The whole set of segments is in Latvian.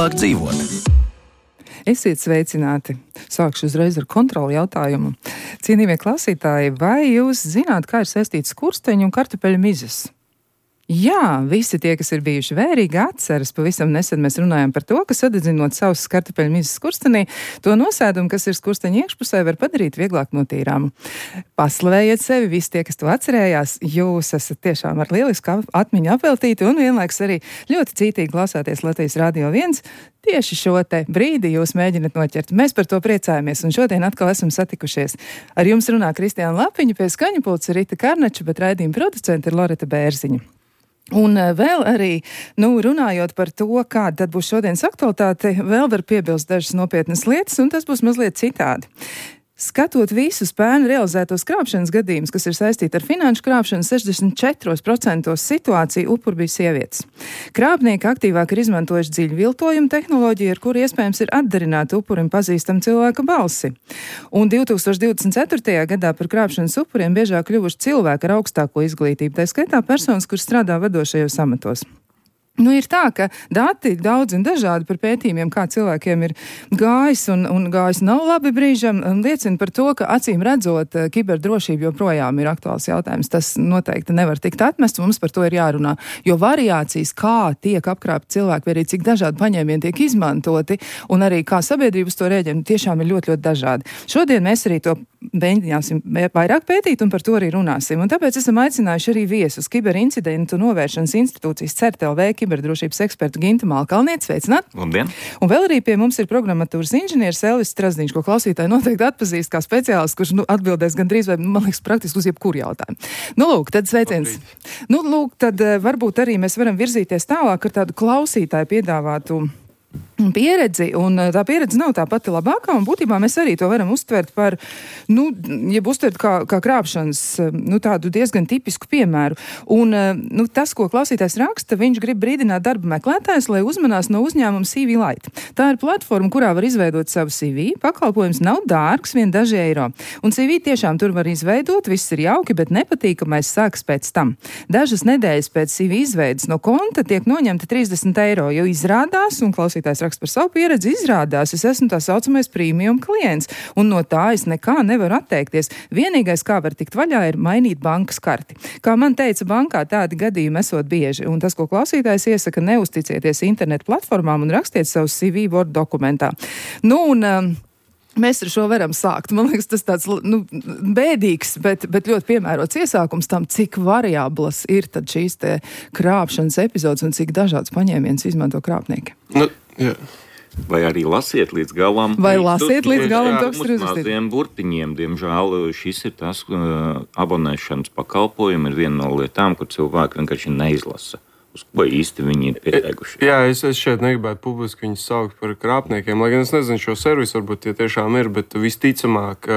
labāk dzīvot. Esiet sveicināti. Sākšu uzreiz ar kontroli jautājumu. Cienījamie klausītāji, vai jūs zināt, kā ir saistīts skursteņu un kartupeļu mizas? Jā, visi tie, kas ir bijuši vērīgi, atceras. Pavisam nesen mēs runājām par to, ka sadedzinot savus kartupeļu mizas skurstenī, to nosēdumu, kas ir skursteņa iekšpusē, var padarīt vieglāk notīrāmu. Paslavējiet sevi, visi tie, kas to atcerējās. Jūs esat tiešām ar lielisku atmiņu apveltīti un vienlaiks arī ļoti cītīgi klausāties Latvijas Radio 1. Tieši šo te brīdi jūs mēģināt noķert. Mēs par to priecājamies, un šodien atkal esam satikušies. Ar jums runā Kristiāna Lapiņa, pie skaņu pulca Rita Karnača, bet raidījuma producente ir Loreta Bērziņa. Un vēl arī, runājot par to, kāda tad būs šodienas aktualitāte, vēl var piebilst dažas nopietnas lietas, un tas būs mazliet citādi. Skatot visus pērn realizētos krāpšanas gadījumus, kas ir saistīti ar finanšu krāpšanu, 64% situāciju upuri bija sievietes. Krāpnieki aktīvāk ir izmantojuši dziļu viltojumu tehnoloģiju, ar kuru iespējams ir atdarināt upurim pazīstam cilvēka balsi. Un 2024. gadā par krāpšanas upuriem biežāk kļuvuši cilvēki ar augstāko izglītību, tā skaitā personas, kur strādā vadošajos amatos. Ir tā, ka dati daudz un dažādi par pētījumiem, kā cilvēkiem ir gājis un gājis nav labi brīžam, liecina par to, ka acīm redzot, kiberdrošība joprojām ir aktuāls jautājums. Tas noteikti nevar tikt atmests, mums par to ir jārunā, jo variācijas, kā tiek apkrāpti cilvēki, vai arī cik dažādi paņēmieni tiek izmantoti, un arī kā sabiedrības to rēģina, tiešām ir ļoti, ļoti dažādi. Šodien mēs arī to mēģināsim vairāk pētīt, un par to arī runāsim. Un tāpēc esam aicinājuši arī viesus Kiberincidentu novēršanas institūcijas CERT-LV kiberdrošības ekspertu Gintu Malkalnieci. Sveicināt! Labdien! Un vēl arī pie mums ir programmatūras inženieris Elvis Strazdiņš, ko klausītāji noteikti atpazīst kā speciālists, kurš atbildēs gandrīz vai, man liekas, praktiski uz jebkuru jautājumu. Lūk, tad sveiciens. Tad varbūt arī mēs varam virzīties tālāk ar tādu klausītāju piedāvātu pieredzi, un tā pieredze nav tā pati labākā, un būtībā mēs arī to varam uztvert par, uztvert kā krāpšanas, tādu diezgan tipisku piemēru. Un, tas, ko klausītājs raksta, viņš grib brīdināt darba meklētājs, lai uzmanās no uzņēmuma CV Lite. Tā ir platforma, kurā var izveidot savu CV. Pakalpojums nav dārgs, vien daži eiro. Un CV tiešām tur var izveidot, viss ir jauki, bet nepatīkamais sāks pēc tam. Dažas nedēļas pēc CV izveidas no konta tiek noņemta 30 eiro, jo izrādās, un klausītājs raksta par savu pieredzi, izrādās, es esmu tā saucamais premium klients, un no tā es nekā nevaru atteikties. Vienīgais, kā var tikt vaļā, ir mainīt bankas karti. Kā man teica, bankā tādi gadījumi esot bieži, un tas, ko klausītājs iesaka, neusticieties internetu platformām un rakstiet savu CV Word dokumentā. Mēs ar šo varam sākt. Man liekas, tas tāds bēdīgs, bet ļoti piemērots iesākums tam, cik variablas ir tad šīs te krāpšanas epizodes un cik dažāds paņēmiens izmanto krāpnieki. Jā. Vai arī lasiet līdz galam. Vai lasiet līdz galam, tas ir maziem burtiņiem. Diemžēl šis ir tas abonēšanas pakalpojumi ir viena no lietām, kur cilvēki vienkārši neizlasa. Uz ko īsti viņi ir pieteikuši. Jā, es šeit negribētu publiski viņus saukt par krāpniekiem, lai gan es nezinu šo servisu, varbūt tie tiešām ir, bet visticamāk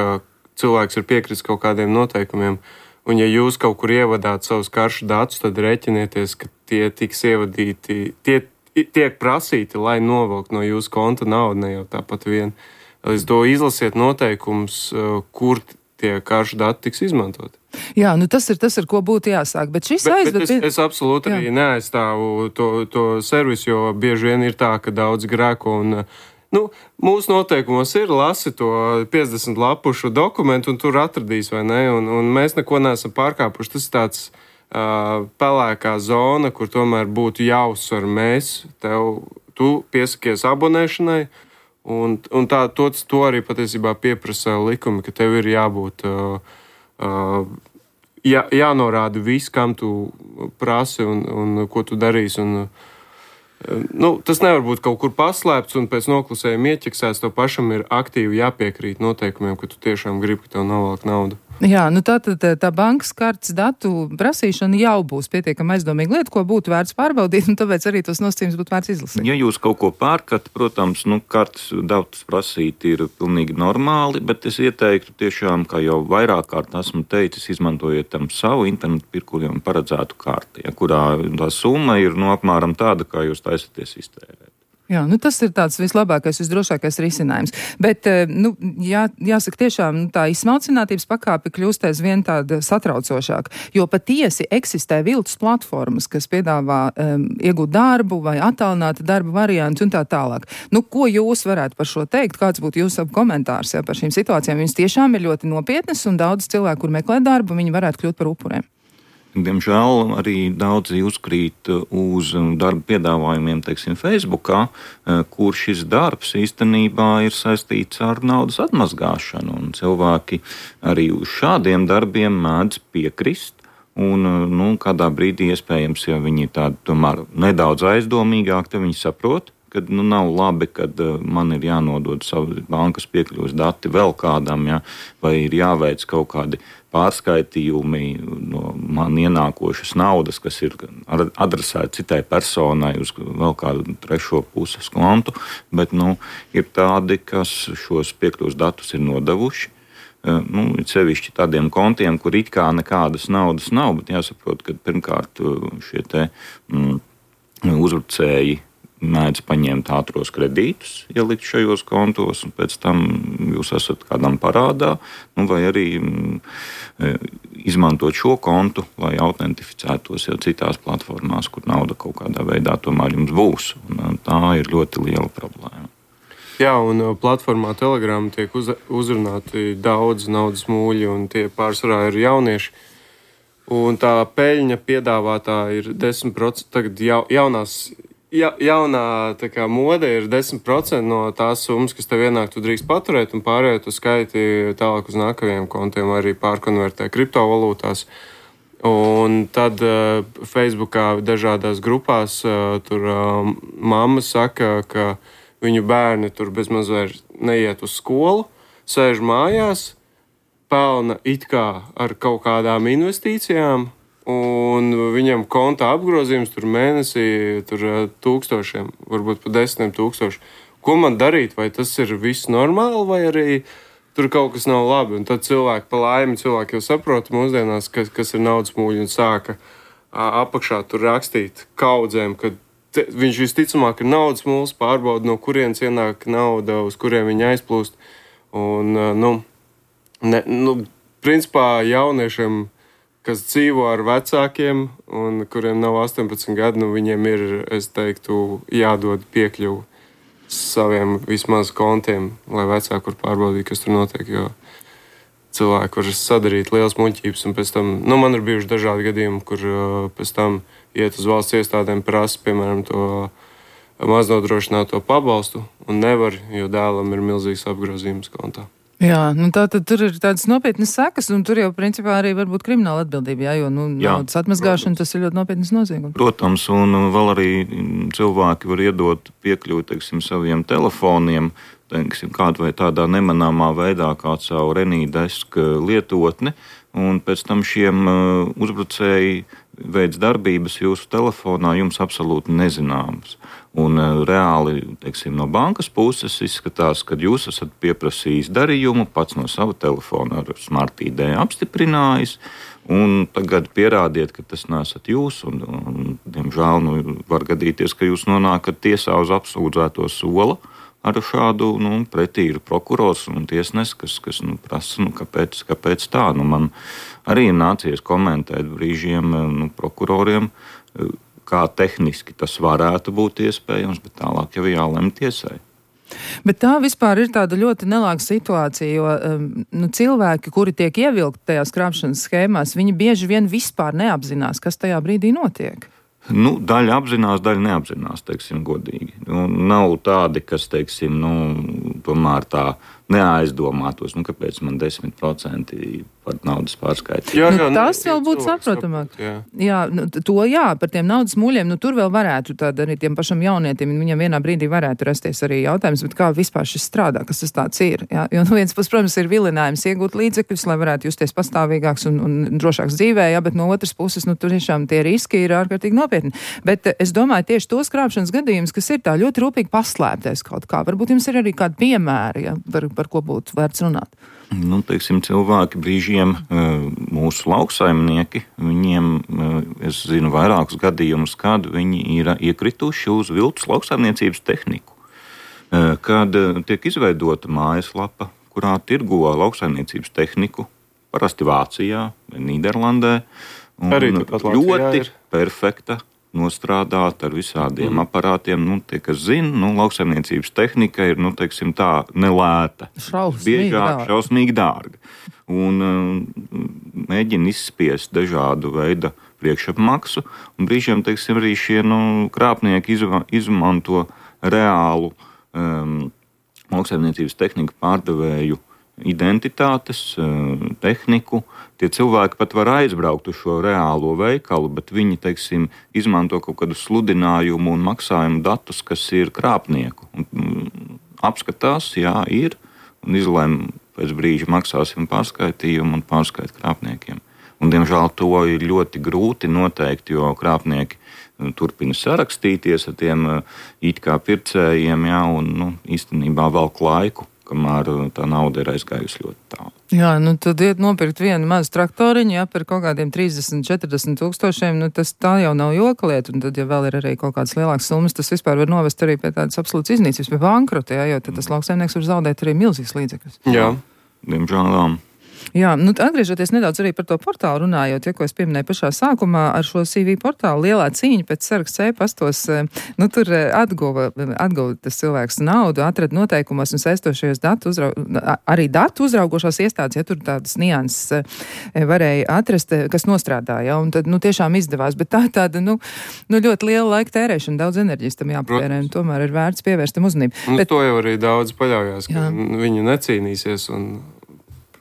cilvēks ir piekritis kaut kādiem noteikumiem, un ja jūs kaut kur ievadāt savus karšu datus, tad reķinieties, ka tie tiks ievadīti, tie tiek prasīti, lai novilkt no jūsu konta naudu, ne jau tāpat vien. Līdz to izlasiet noteikums, kur tie karšu dati tiks izmantoti. Jā, tas ir, ko būtu jāsāk, bet šis aizved... Es absolūti arī neaizstāvu to servisu, jo bieži vien ir tā, ka daudz grēko un, mūsu noteikumos ir lasi to 50 lapušu dokumentu un tur atradīs, vai ne, un mēs neko neesam pārkāpuši. Tas ir tāds pelēkā zona, kur tomēr būtu jāuzsver tu piesakies abonēšanai, un to arī patiesībā pieprasa likumi, ka tev ir jābūt... jānorāda viss, kam tu prasi un ko tu darīsi. Tas nevar būt kaut kur paslēpts un pēc noklusējuma ieķeksēts. Tev pašam ir aktīvi jāpiekrīt noteikumiem, ka tu tiešām gribi, ka tev novelk naudu. Jā, tā bankas kartes datu prasīšana jau būs pietiekami aizdomīga lieta, ko būtu vērts pārbaudīt, un tāpēc arī tos nosacījumus būtu vērts izlasīt. Ja jūs kaut ko pērkat, protams, kartes datus prasīt ir pilnīgi normāli, bet es ieteiktu tiešām, kā jau vairāk kārt esmu teicis, izmantojiet tam savu internetu pirkuļiem paredzētu karti, kurā tā summa ir apmēram tāda, kā jūs taisaties iztērēt. Jā, tas ir tāds vislabākais, visdrošākais risinājums. Bet, jāsaka tiešām, tā izsmalcinātības pakāpe kļūst aizvien tāda satraucošāka, jo patiesi eksistē viltus platformas, kas piedāvā iegūt darbu vai attālināta darba variantu un tā tālāk. Ko jūs varētu par šo teikt? Kāds būtu jūsu komentārs par šīm situācijām? Viņas tiešām ir ļoti nopietnas un daudz cilvēku, kur meklē darbu, viņi varētu kļūt par upuriem. Diemžēl arī daudzi uzkrīt uz darba piedāvājumiem, teiksim, Facebookā, kur šis darbs īstenībā ir saistīts ar naudas atmazgāšanu. Un cilvēki arī uz šādiem darbiem mēdz piekrist. Un kādā brīdī iespējams, ja viņi ir tādi tomēr nedaudz aizdomīgāki, tad viņi saprot, ka nav labi, kad man ir jānodod savu bankas piekļuves dati vēl kādam, vai ir jāveic kaut kādi pārskaitījumi no man ienākošas naudas, kas ir adresēta citai personai uz vēl kādu trešo puses kontu, bet ir tādi, kas šos piekļuves datus ir nodevuši. Sevišķi tādiem kontiem, kur it kā nekādas naudas nav, bet jāsaprot, ka pirmkārt šie te uzbrucēji mēdz paņemt ātros kredītus, ielikt šajos kontos, un pēc tam jūs esat kādam parādā, vai arī izmantot šo kontu, lai autentificētos jau citās platformās, kur nauda kaut kādā veidā tomēr jums būs. Un tā ir ļoti liela problēma. Jā, un platformā Telegram tiek uzrunāti daudz naudas mūļi, un tie pārsvarā ir jaunieši. Un tā peļņa piedāvātā ir 10%, tagad jaunā mode ir 10% no tās summas, kas tev ienāk, tu drīkst paturēt, un pārējo tu skaiti tālāk uz nākamajiem kontiem, vai arī pārkonvertē kriptovalūtās. Un tad Facebookā dažādās grupās tur mamma saka, ka viņu bērni tur bezmaz vairs neiet uz skolu, sēž mājās, pelna it kā ar kaut kādām investīcijām, un viņam konta apgrozījums tur mēnesī tur 1000, varbūt pat 10 000. Ko man darīt? Vai tas ir viss normāli, vai arī tur kaut kas nav labi? Un tad cilvēki pa laimi, cilvēki jau saprota mūsdienās, kas ir naudas mūļi, un sāka apakšā tur rakstīt kaudzēm, ka viņš visticamāk ir naudas mūls, pārbauda, no kurienes ienāk nauda, uz kuriem viņa aizplūst. Un, principā jauniešiem, kas dzīvo ar vecākiem un kuriem nav 18 gadi, viņiem ir, es teiktu, jādod piekļuvu saviem vismaz kontiem, lai vecāki var pārbaudīt, kas tur notiek, jo cilvēki var sadarīt lielas muļķības, un pēc tam, man ir bijuši dažādi gadījumi, kur pēc tam iet uz valsts iestādēm prasa, piemēram, to maznodrošināto pabalstu, un nevar, jo dēlam ir milzīgs apgrozījums kontā. Jā, tātad tur ir tādas nopietnas sekas, un tur jau principā arī var būt krimināla atbildība, jo naudas atmazgāšana, tas ir ļoti nopietnas noziegums. Protams, un vēl arī cilvēki var iedot piekļūt, teiksim, saviem telefoniem, teiksim, kādu vai tādā nemanāmā veidā, kā caur Renīdesk lietotni, un pēc tam šiem uzbrucēji veids darbības jūsu telefonā jums absolūti nezināmas. Un reāli, teiksim, no bankas puses izskatās, ka jūs esat pieprasījis darījumu, pats no sava telefona ar Smart ID apstiprinājis, un tagad pierādiet, ka tas nesat jūs, un diemžēl, var gadīties, ka jūs nonākat tiesā uz apsūdzēto soli ar šādu, pretī ir prokurors un tiesnesis, kas prasa, kāpēc tā. Man arī ir nācies komentēt brīžiem prokuroriem, kā tehniski tas varētu būt iespējams, bet tālāk jau jālemj tiesai. Bet tā vispār ir tāda ļoti nelāga situācija, jo cilvēki, kuri tiek ievilkti tajās krāpšanas schēmās, viņi bieži vien vispār neapzinās, kas tajā brīdī notiek. Daļa apzinās, daļa neapzinās, teiksim, godīgi. Nav tādi, kas, teiksim, tomēr tā neaizdomātos, kāpēc man 10% par naudas pārskaiti. Tas vēl būtu saprotamāk. Par tiem naudas muļiem, tur vēl varētu tāda arī tiem pašam jaunietim, viņam vienā brīdī varētu rasties arī jautājums, bet kā vispār šis strādā, kas tas tāds ir? Jā? Jo viens puses, protams, ir vilinājums iegūt līdzekļus, lai varētu justies pastāvīgāks un drošāks dzīvē, bet no otras puses, tur tiešām tie riski ir ārkārtīgi nopietni. Bet es domāju, tieši tos krāpšanas gadījumus, kas ir tā ļoti rūpīgi paslēptais kaut kā, varbūt jums ir arī kādi piemēri, par ko būtu vērts runāt. Teiksim, cilvēki brīžiem, mūsu lauksaimnieki, viņiem, es zinu vairākus gadījumus, kad viņi ir iekrituši uz viltus lauksaimniecības tehniku. Kad tiek izveidota mājaslapa, kurā tirgo lauksaimniecības tehniku, parasti Vācijā vai Nīderlandē, un ļoti perfekta, nostrādāt ar visādiem aparātiem. Tie, kas zina, lauksaimniecības tehnika ir, teiksim tā, nelēta. Šausmīgi dārga. Un mēģina izspiest dažādu veidu priekšapmaksu, un brīžiem, teiksim, arī šie krāpnieki izmanto reālu lauksaimniecības tehniku pārdevēju identitātes, tehniku. Tie cilvēki pat var aizbraukt uz šo reālo veikalu, bet viņi, teiksim, izmanto kaut kādu sludinājumu un maksājumu datus, kas ir krāpnieku. Apskatās, jā, ir, un izlēma pēc brīža maksāsim pārskaitījumu un pārskait krāpniekiem. Un, diemžēl, to ir ļoti grūti noteikt, jo krāpnieki turpina sarakstīties ar tiem it kā pircējiem, jā, un īstenībā velk laiku, kamēr tā nauda ir aizgājusi ļoti tālu. Jā, tad iet nopirkt vienu mazu traktoriņu, par kaut kādiem 30-40 tūkstošiem, tas tā jau nav joka lieta, un tad, ja vēl ir arī kaut kādas lielākas summas, tas vispār var novest arī pie tādas absolūtas iznīcības, pie bankrota, jo tad tas lauksaimnieks var zaudēt arī milzīgas līdzekļus. Jā, diemžēl. Jā, atgriežoties nedaudz arī par to portālu runājot, ko es pieminēju pašā sākumā ar šo CV portālu, lielā cīņa pēc sarakstu e-pastos, tur atguva tas cilvēks naudu, atrada noteikumos un saistošajos arī datu uzraugošās iestādes, tur tādas nianses varēja atrast, kas nostrādāja, un tad, tiešām izdevās, bet tā tāda, ļoti liela laika tērēšana, daudz enerģijas tam jāpatērē, un tomēr ir vērts pievērst tam uzmanību. To jau arī daudz paļaujās, ka viņi necīnīsies un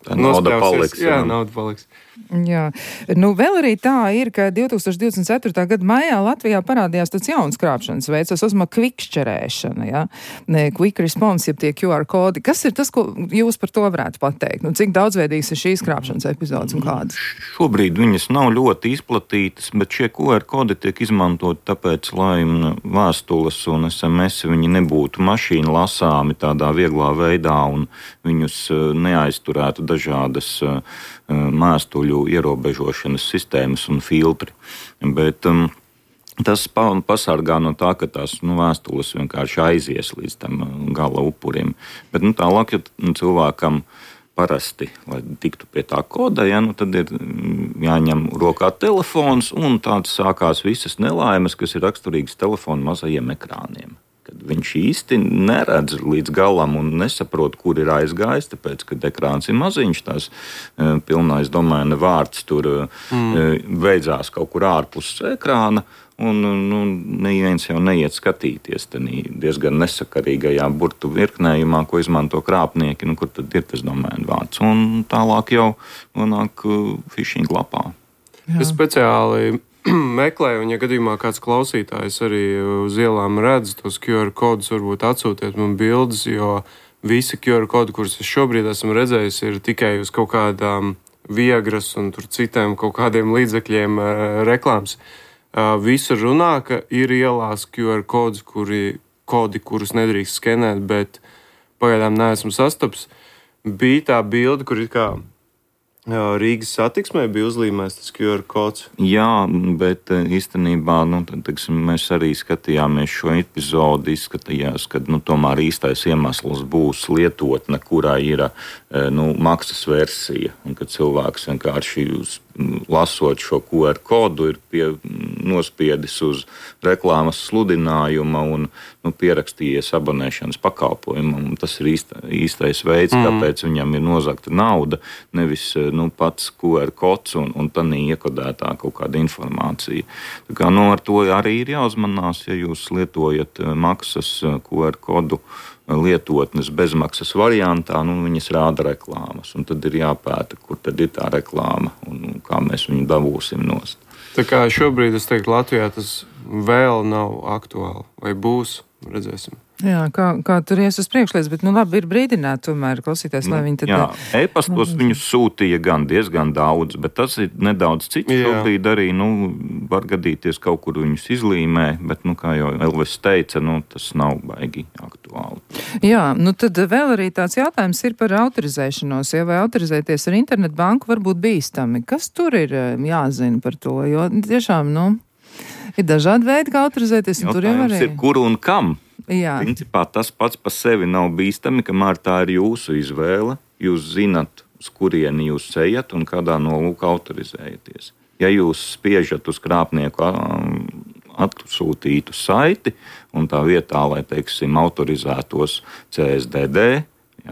tā nauda paliks. Jā, nauda paliks. Jā. Vēl arī tā ir, ka 2024. gada maijā Latvijā parādījās tāds jauns krāpšanas veids, tas osma kvikšķerēšana, ja? Quick response, jeb tie QR kodi. Kas ir tas, ko jūs par to varētu pateikt? Cik daudzveidīgas ir šīs krāpšanas epizodes un kādas? Šobrīd viņas nav ļoti izplatītas, bet šie QR kodi tiek izmantot tāpēc, lai vēstules un SMS viņi nebūtu mašīna lasāmi tādā vieglā veidā un viņus neaizturētu dažādas mēstuļu ierobežošanas sistēmas un filtri. Bet tas pasargā no tā, ka tās vēstules vienkārši aizies līdz tam gala upurim. Bet tālāk, ja cilvēkam parasti, lai tiktu pie tā koda, tad ir jāņem rokā telefons, un tāds sākās visas nelaimes, kas ir raksturīgas telefonu mazajiem ekrāniem. Kad viņš īsti neredz līdz galam un nesaprot, kur ir aizgājis, tāpēc, kad ekrāns ir maziņš, tās pilnais domēna vārds tur beidzās kaut kur ārpus ekrāna, un neviens jau neiet skatīties tenī diezgan nesakarīgajā burtu virknējumā, ko izmanto krāpnieki, kur tad ir tas domēna vārds. Un tālāk jau nonāk phishing lapā. Es speciāli meklēju, un ja gadījumā kāds klausītājs arī uz ielām redz tos QR kodus, varbūt atsūtiet man bildes, jo visi QR kodi, kurus es šobrīd esmu redzējis, ir tikai uz kaut kādām Viegras un tur citiem kaut kādiem līdzekļiem reklāmas. Visur runā, ka ir ielās QR kodi, kurus nedrīkst skenēt, bet pagaidām neesmu sastaps. Bija tā bilde, kur ir kā Rīgas satiksmē bija uzlīmēts tas QR kods. Jā, bet īstenībā mēs arī skatījāmies šo epizodi, izskatījās, ka tomēr īstais iemesls būs lietotne, kurā ir maksas versija. Un kad cilvēks vienkārši lasot šo QR kodu ir nospiedis uz reklāmas sludinājuma un pierakstījies abonēšanas pakalpojumam. Tas ir īstais veids, kāpēc viņam ir nozagta nauda, nevis pats QR kods un tanī iekodētā kaut kāda informācija. Tā kā, ar to arī ir jāuzmanās, ja jūs lietojat maksas QR kodu lietotnes bezmaksas variantā, viņas rāda reklāmas. Un tad ir jāpēta, kur tad ir tā reklāma un kā mēs viņu dabūsim nost. Tā kā šobrīd, es teiktu, Latvijā tas vēl nav aktuāli. Vai būs? Redzēsim. Jā, kā tur ies uz priekšlietas, bet labi ir brīdināt tomēr klausīties, lai viņi tad... Jā, e-pastos viņus sūtīja diezgan daudz, bet tas ir nedaudz cits. Šobrīd arī var gadīties kaut kur viņus izlīmē, bet, kā jau Elvis teica, tas nav baigi aktuāli. Jā, tad vēl arī tāds jautājums ir par autorizēšanos, vai autorizēties ar internetbanku var būt bīstami. Kas tur ir jāzina par to? Jo tiešām, ir dažādi veidi, kā autorizēties, un tur jau arī ir kur un kam. Jā. Principā tas pats par sevi nav bīstami, kamēr tā ir jūsu izvēle. Jūs zinat, uz kurieni jūs ejat un kādā nolūkā autorizējaties. Ja jūs spiežat uz krāpnieku atsūtītu saiti un tā vietā, lai, teiksim, autorizētos CSDD,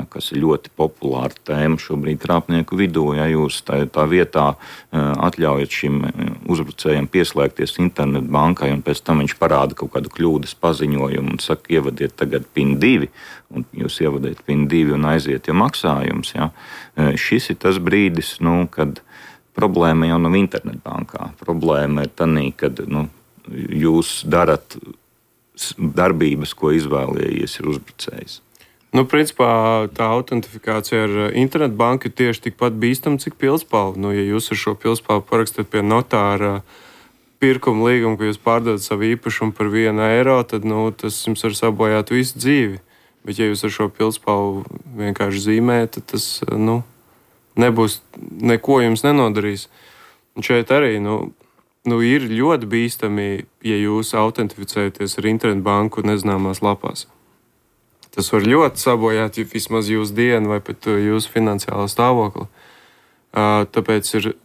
kas ir ļoti populāra tēma šobrīd krāpnieku vidū, ja jūs tā vietā atļaujat šim uzbrucējam pieslēgties internetbankai un pēc tam viņš parāda kaut kādu kļūdas paziņojumu un saka, ievadiet tagad PIN 2, un jūs ievadiet PIN 2 un aiziet jau maksājums. Ja. Šis ir tas brīdis, kad problēma jau nav internetbankā. Problēma ir tanī, kad jūs darat darbības, ko izvēlējies ir uzbrucējs. Principā tā autentifikācija ar internetbanku ir tieši tikpat bīstama, cik pilspalva. Ja jūs ar šo pilspalvu parakstat pie notāra pirkuma līgumu, ka jūs pārdodat savu īpašumu par 1 eiro, tad tas jums var sabojāt visu dzīvi. Bet ja jūs ar šo pilspalvu vienkārši zīmējat, tad tas nebūs, neko jums nenodarīs. Un šeit arī ir ļoti bīstami, ja jūs autentificējaties ar internetbanku nezināmās lapās. Tas var ļoti sabojāt vismaz jūsu dienu vai pat jūsu finansiālo stāvokli. Tāpēc ir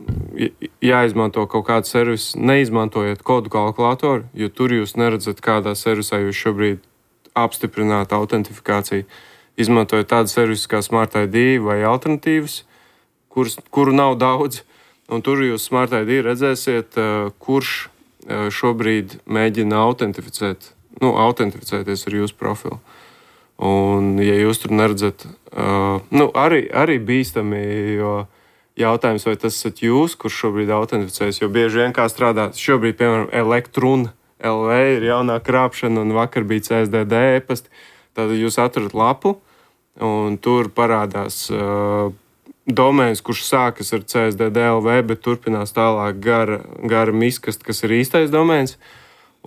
jāizmanto kaut kāds servis, neizmantojiet kodu kalkulātoru, jo tur jūs neredzat, kādā servisā jūs šobrīd apstiprināt autentifikāciju. Izmantojiet tādu servisu kā Smart ID vai alternatīvas, kuru nav daudz, un tur jūs Smart ID redzēsiet, kurš šobrīd mēģina autentificēties ar jūsu profilu. Un, ja jūs tur neredzat, arī bīstami, jo jautājums, vai tas esat jūs, kurš šobrīd autentificējas, jo bieži vien kā strādā, šobrīd, piemēram, Elektruna LV ir jaunā krāpšana, un vakar bija CSDD e-pasti, tad jūs atrat lapu, un tur parādās domēns, kurš sākas ar CSDD LV, bet turpinās tālāk gara miskast, kas ir īstais domēns,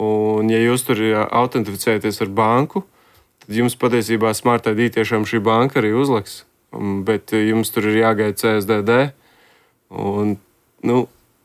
un ja jūs tur autentificējaties ar banku, jums patiesībā Smart ID tiešām šī banka arī uzliks, bet jums tur ir jāgaida CSDD. Un,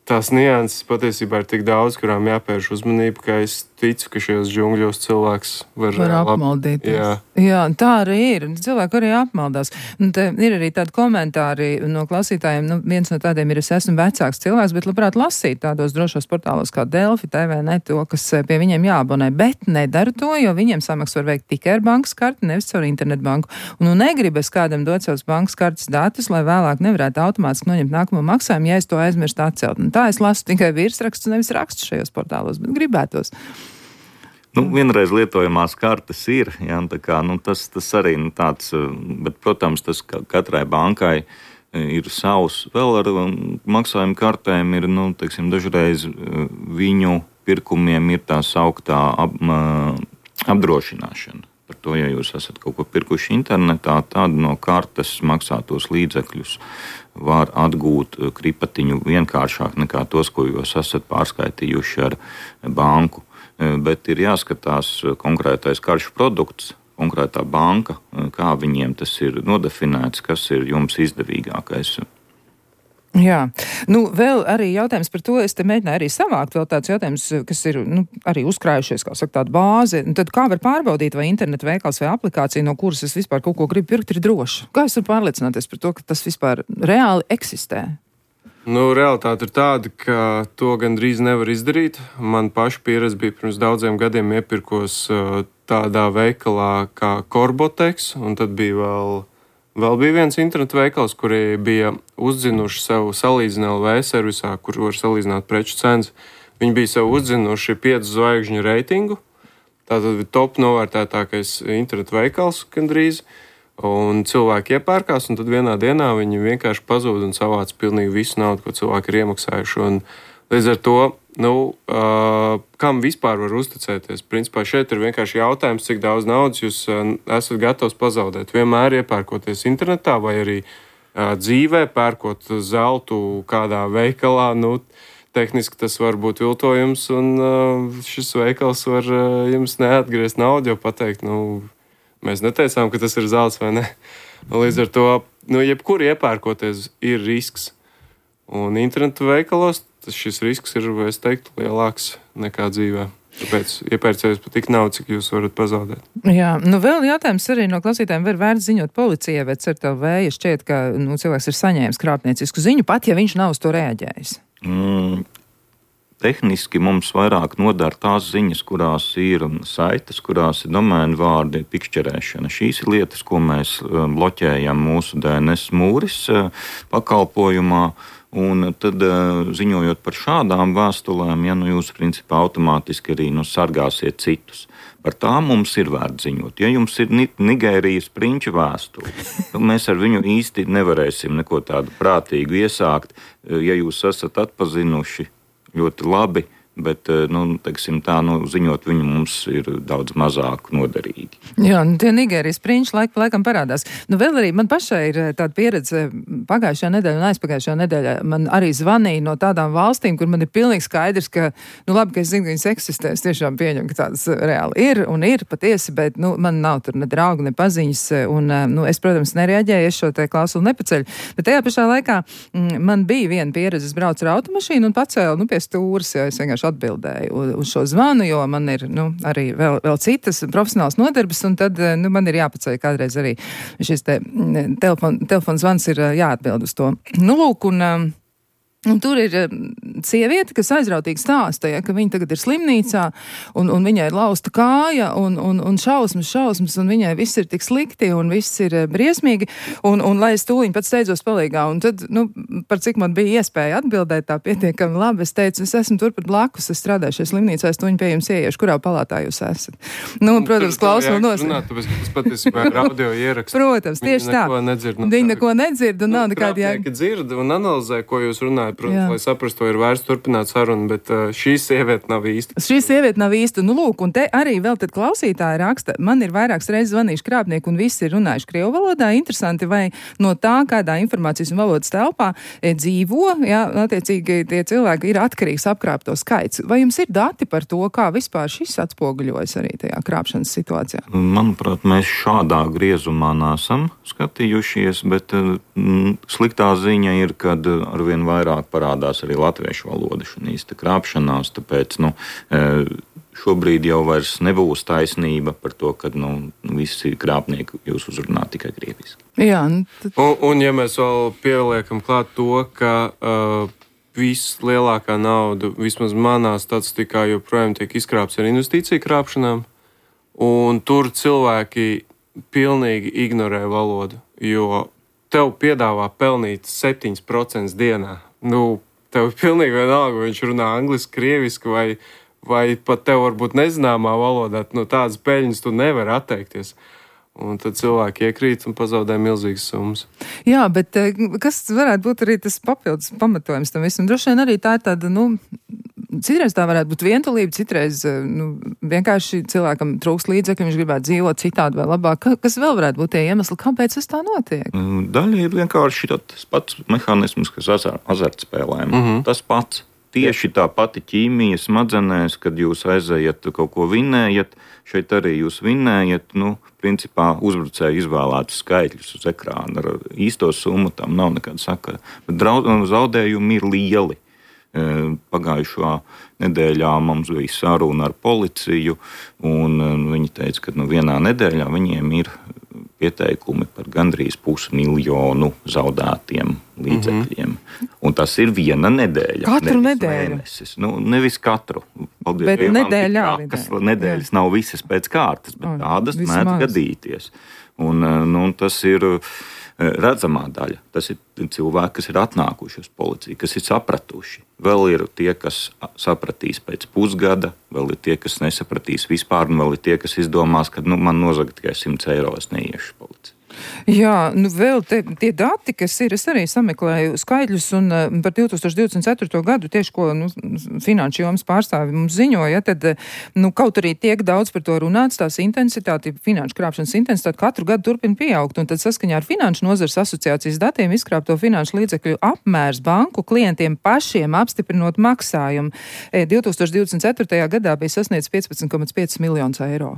tās nianses patiesībā ir tik daudz, kurām jāpērš uzmanība, ka es ticu, ka šajos džungļos cilvēks var apmaldīties. Jā, tā arī ir. Cilvēki arī apmaldās. Un te ir arī tādi komentāri no klausītājiem. Viens no tādiem ir, es esmu vecāks cilvēks, bet labprāt lasīt tādos drošos portālos kā Delfi, TVN, to, kas pie viņiem jāabonē, bet nedaru to, jo viņiem samaksu var veikt tikai ar bankas karti, nevis caur internetbanku. Un negribu es kādam dot savus bankas kartes datus, lai vēlāk nevarētu automātiski noņemt nākamo maksājumu, ja es to aizmirstu atcelt. Un tā es lasu tikai virsrakstus, nevis rakstus šajos portālos, bet gribētos. Vienreiz lietojamās kartes ir, tas arī tāds, bet, protams, tas katrai bankai ir savs. Vēl ar maksājumu kartēm ir, dažreiz viņu pirkumiem ir tā sauktā apdrošināšana. Par to, ja jūs esat kaut ko pirkuši internetā, tad no kartes maksātos līdzekļus var atgūt kripatiņu vienkāršāk nekā tos, ko jūs esat pārskaitījuši ar banku. Bet ir jāskatās konkrētais karšu produkts, konkrētā banka, kā viņiem tas ir nodefinēts, kas ir jums izdevīgākais. Jā, vēl arī jautājums par to, es te mēģināju arī savākt vēl tāds jautājums, kas ir, arī uzkrājušies, kā saka, tāda bāze. Tad kā var pārbaudīt, vai internetu veikals vai aplikācija, no kuras es vispār kaut ko gribu pirkt, ir droša? Kā es varu pārliecināties par to, ka tas vispār reāli eksistē? Realitāte ir tāda, ka to gandrīz nevar izdarīt. Man paša pieredze bija pirms daudziem gadiem iepirkos tādā veikalā kā Corbotex, un tad bija vēl bija viens internetu veikals, kuri bija uzdzinuši sev salīdzina LV servisā, kur var salīdzināt preču cenas. Viņi bija sev uzdzinuši 5 zvaigžņu reitingu, tātad top novērtētākais internetu veikals gandrīz. Un cilvēki iepērkās, un tad vienā dienā viņi vienkārši pazūd un savāc pilnīgi visu naudu, ko cilvēki ir iemaksājuši. Un līdz ar to, kam vispār var uzticēties? Principā šeit ir vienkārši jautājums, cik daudz naudas jūs esat gatavs pazaudēt. Vienmēr iepērkoties internetā vai arī dzīvē, pērkot zeltu kādā veikalā, tehniski tas var būt viltojums, un šis veikals var jums neatgriezt naudu, jo pateikt, mēs neteicām, ka tas ir zelts vai ne. Līdz ar to, jebkur iepērkoties ir risks. Un internetu veikalos šis risks ir, es teiktu, lielāks nekā dzīvē. Tāpēc iepērcējos pat tik naudu, cik jūs varat pazaudēt. Jā, vēl jautājums arī no klausītājiem, vai vērts ziņot policijai vai CERTLV, ja šķiet, ka cilvēks ir saņēmis krāpniecisku ziņu, pat ja viņš nav uz to reaģējis? Tehniski mums vairāk nodara tās ziņas, kurās ir saites, kurās ir domēnu vārdi, pikšķerēšana. Šīs ir lietas, ko mēs bloķējam mūsu DNS mūris pakalpojumā. Un tad, ziņojot par šādām vēstulēm, jūs principā automātiski arī sargāsiet citus. Par tām mums ir vērts ziņot. Ja jums ir Nigērijas prinča vēstule, mēs ar viņu īsti nevarēsim neko tādu prātīgu iesākt. Ja jūs esat atpazinuši ļoti labi, bet, teiksim tā, ziņot viņu mums ir daudz mazāk noderīgi. Jā, tie Nigērijas prinči laikam parādās. Vēl arī man pašai ir tāda pieredze pagājušajā nedēļā un aizpagājušajā nedēļā. Man arī zvanīja no tādām valstīm, kur man ir pilnīgi skaidrs, ka, labi, ka es zinu, ka viņas eksistē, es tiešām pieņemu, ka tādas reāli ir patiesi, bet, man nav tur ne draugu, ne paziņas, un, es, protams, nereaģēju, es šo te klausulu nepaceļu. Bet tajā pašā laikā man bija viena pieredze, es braucu ar automašīnu un pacēlu, pie stūras, ja es vienkārši atbildēju uz šo zvanu, jo man ir arī vēl citas profesionāls nodarbes, un tad man ir jāpaceļ kādreiz arī šis te telefons zvans ir jāatbild uz to. Lūk, un tur ir sieviete, kas aizrautīgi stāsta, ka viņa tagad ir slimnīcā, un viņai ir lausta kāja, un šausmas, un viņai viss ir tik slikti, un viss ir briesmīgi, un lai es tūliņ pats steidzos palīgā, un tad, par cik man bija iespēja atbildēt tā pietiekami labi, es teicu, es esmu turpat blakus, es strādāju šajā slimnīcā, es tūliņ pie jums ieiešu, kurā palātā jūs esat. Protams, klausulu nosaka. Tāpēc, ka tas patiesībā ir audio ieraksts. Protams, tieši tā. Viņi neko nedzird, un nav nekādi jēga. Dzird un analizē, ko jūs runājat. Protams, lai saprastu, to ir vērts turpināt sarunu, bet šī sieviete nav īsta. Šī sieviete nav īsta. Lūk, un te arī vēl tad klausītāji raksta, man ir vairākas reizes zvanījuši krāpnieki un visi ir runājuši krievu valodā. Interesanti, vai no tā, kādā informācijas un valodas telpā dzīvo, attiecīgi tie cilvēki ir atkarīgs apkrāpto skaits. Vai jums ir dati par to, kā vispār šis atspoguļojas arī tajā krāpšanas situācijā? Manuprāt, mēs šādā griezumā nesam skatījušies, bet sliktā ziņa ir, kad arvien vairāk parādās arī latviešu valoda šīs krāpšanās, tāpēc šobrīd jau vairs nebūs taisnība par to, ka visi krāpnieki jūs uzrunā tikai krieviski. Jā, un ja mēs vēl pieliekam klāt to, ka vislielākā nauda, vismaz manā statistikā, joprojām tiek izkrāpts ar investīciju krāpšanām, un tur cilvēki pilnīgi ignorē valodu, jo tev piedāvā pelnīt 7% dienā. Tev ir pilnīgi vienalga, vai viņš runā angliski, krieviski, vai pat tev varbūt nezināmā valodā. Tādas peļņas tu nevari atteikties. Un tad cilvēki iekrīt un pazaudē milzīgas summas. Jā, bet kas varētu būt arī tas papildus pamatojums tam visam? Droši vien arī tā ir tāda, citreiz tā varētu būt vientulība, citreiz vienkārši cilvēkam trūkst līdzekļu, viņš gribētu dzīvot citādi vai labāk. Kas vēl varētu būt tie iemesli, kāpēc tas tā notiek? Daļa ir vienkārši tas pats mehānisms, kas azartspēlēm. Tas pats. Tieši tā pati ķīmija smadzenēs, kad jūs aizejat kaut ko vinnējat, šeit arī jūs vinnējat, principā uzbrucēji izvēlētus skaitļus uz ekrāna. Ar īsto summu tam nav nekāda sakara. Bet zaudējumi ir lieli. Pagājušā nedēļā mums bija saruna ar policiju, un viņi teica, ka vienā nedēļā viņiem ir pieteikumi par gandrīz 500 000 zaudētiem līdzekļiem. Un tas ir viena nedēļa. Katru nedēļu? Mēnesis. Nevis katru. Paldies, bet nedēļā. Nedēļas nav visas pēc kārtas, bet tādas mēdz gadīties. Un tas ir redzamā daļa. Tas ir cilvēki, kas ir atnākuši uz policiju, kas ir sapratuši. Vēl ir tie, kas sapratīs pēc pusgada, vēl ir tie, kas nesapratīs vispār, un vēl ir tie, kas izdomās, ka man nozaga tikai 100 eiro, es neiešu uz policiju. Jā, nu vēl tie dati, kas ir, es arī sameklēju skaitļus un par 2024. gadu tieši, ko finanšu jomas pārstāvi mums ziņoja, tad, kaut arī tiek daudz par to runāts, tās intensitāti, finanšu krāpšanas intensitāti katru gadu turpina pieaugt, un tad saskaņā ar Finanšu nozares asociācijas datiem izkrāpto finanšu līdzekļu apmērs banku klientiem pašiem apstiprinot maksājumu 2024. gadā bija sasniedz 15,5 miljonus eiro.